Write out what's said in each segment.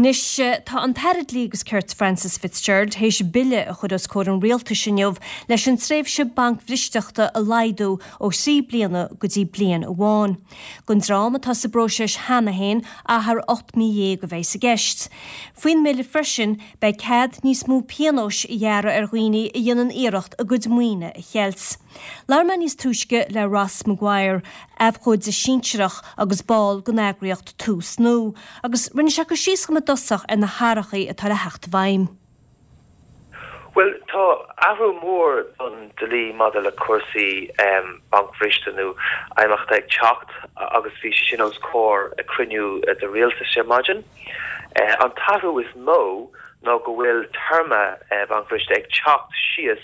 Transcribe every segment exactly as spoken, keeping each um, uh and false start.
Anois tá an tAire Dlí agus Cirt Frances Fitzgerald théis bille a chur os comhair an rialtais inniu leis an tréimhse bancbhristeachta a laghdú ó thrí bliana go dtí bliain amháin. Don dream atá sa bpróiseas cheana féin achar ocht mí dhéag a bheidh i gceist. Faoin mbille freisin beidh cead níos mó pionóis a ghearradh ar dhaoine a dhéanann iarracht a gcuid maoine a cheilt. Labhair mé níos túisce le Ross Maguire, abhcóide sinsearach agus ball den eagraíocht Tús Nua, agus rinne sé cur síos i dtosach ar na hathruithe atá le theacht i bhfeidhm. Well tá athrú mór don dlí maidir le cúrsaí um, bancbhriste nó imeachta ag teacht agus bhí sé sin os comhair ag cruinniú de rialtas ar maidin. Uh, an t-athrú is mó ná go bhfuil téarma uh, bancbhriste ag teacht síos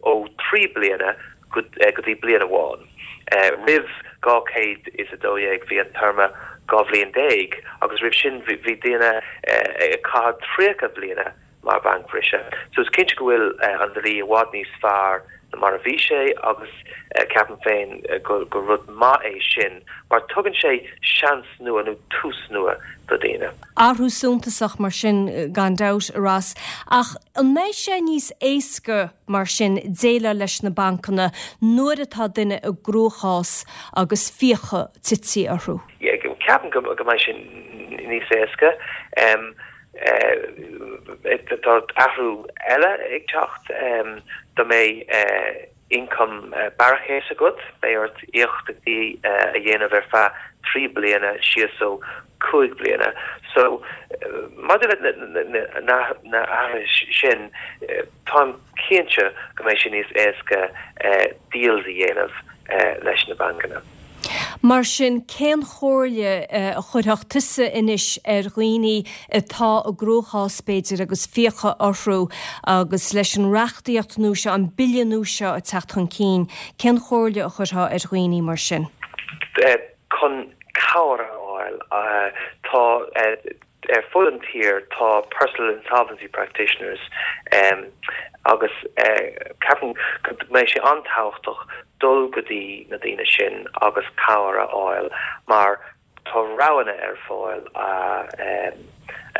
ó trí bliana go uh, go dtí bliain amháin. Uh, roimh dhá chéad is a dó dhéag bhí an téarma dhá bhliain déag agus roimh sin bhí daoine ag caitheamh tríocha bliana mar bancbhriseadh. So is cinnte go bhfuil uh, an dlí i bhfad níos fearr ná mar a bhí sé agus uh, ceapaim féin uh, go, go rud maith é sin, mar tugann sé seans nua nó tús nua do daoine. Athrú suntasach mar sin gan dabht a Ross, ach an mbeidh sé níos éasca mar sin déileáil leis na bancanna nuair atá duine i gcruachás agus fiacha tite orthu. Ceapaim go go mbeidh sin níos éasca. Um, tá athrú eile ag teacht um, dá mbeadh uh, ioncam uh, barrachais agat beidh ort éachtaí uh, a dhéanamh ar feadh trí bliana síos ó cúig bliana. So uh, maidir le na na sin uh, tá cinnte go mbeidh sé níos éasca uh, deals a dhéanamh uh, leis na bancanna. Mar sin cén chomhairle a chuirfeadh tusa anois ar dhaoine atá i gcruachás b'fhéidir agus fiacha orthu agus leis an reachtaíocht nua seo an bille nua seo ag teacht chun cinn, cén chomhairle a chuirfeá ar dhaoine mar sin. Chun cabhair a fháil tá ar fud an tír tá personal insolvency practitioners um, agus uh, ceapaim go mbeidh sé an-tábhachtach dul go dtí na daoine sin agus cabhair a fháil mar tá roghanna ar fáil uh, um,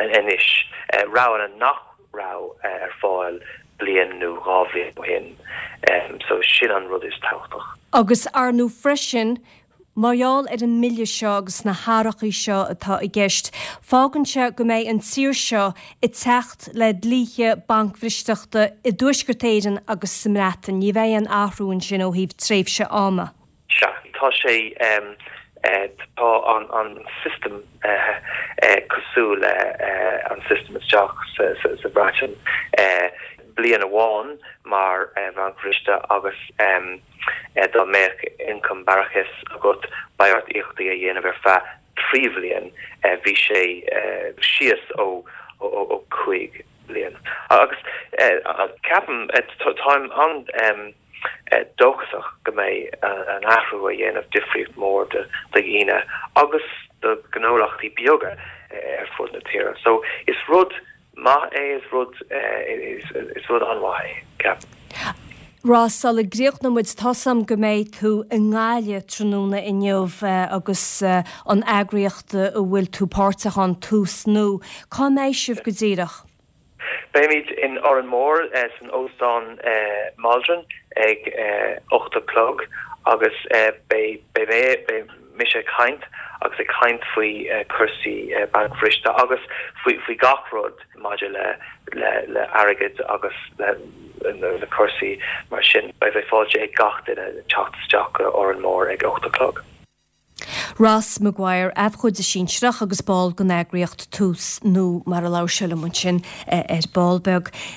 anois uh, roghanna nach raibh uh, ar fáil bliain nó dhá bhliain ó shin um, so sin an rud is tábhachtach. Agus ar ndóigh freisin Mar gheall ar an mbille seo agus na hathruithe seo atá i gceist, fágann sé go mbeidh an tír seo ag teacht le dlíthe bancbhristeachta i dTuaisceart Éireann agus sa mBreatain, ní bheidh aon athrú ansin ó thaobh tréimhse ama. Sea tá sé um, uh, tá an an system uh, uh, cosúil le uh, an system isteach sa, sa, sa Bhreatain uh, bliain amháin mar uh, bhancbhriste agus um, uh, dá mbeadh ioncam barrachais agat beidh ort éachtaí a dhéanamh ar feadh trí bhliain uh, bhí sé uh, síos ó ó, ó cúig bliain. Agus uh, ceapaim uh, táim an um, uh, dóchasach go mbeidh uh, an athrú a dhéanamh difríocht mór do dhaoine agus do gnólachtaí beaga uh, ar fud na tíre. So is rud maith é is rud uh, is, is rud an-mhaith é ceapaim. Ross sula gcríochnóidh muid tá a fhios agam go mbeidh tú i nGaillimh tráthnóna inniu agus an eagraíocht a bhfuil tú páirteach ann Tús Nua. Cá mbeidh sibh go díreach? Beimid in Órán Mór uh, san óstán uh, Maldron ag uh, ocht a chlog agus uh, beidh beidh mise ag caint agus ag caint faoi uh, cúrsaí uh, bancbhriste agus faoi faoi gach rud maidir le le le airgead agus le le cúrsaí mar sin beidh bheith fáilte ag gach duine teacht isteach Órán Mór ag ocht a chlog. Ross Maguire abhcóide sinsearach agus ball den eagraíocht Tús Nua mar a labhair sé liom ansin ar ball beag.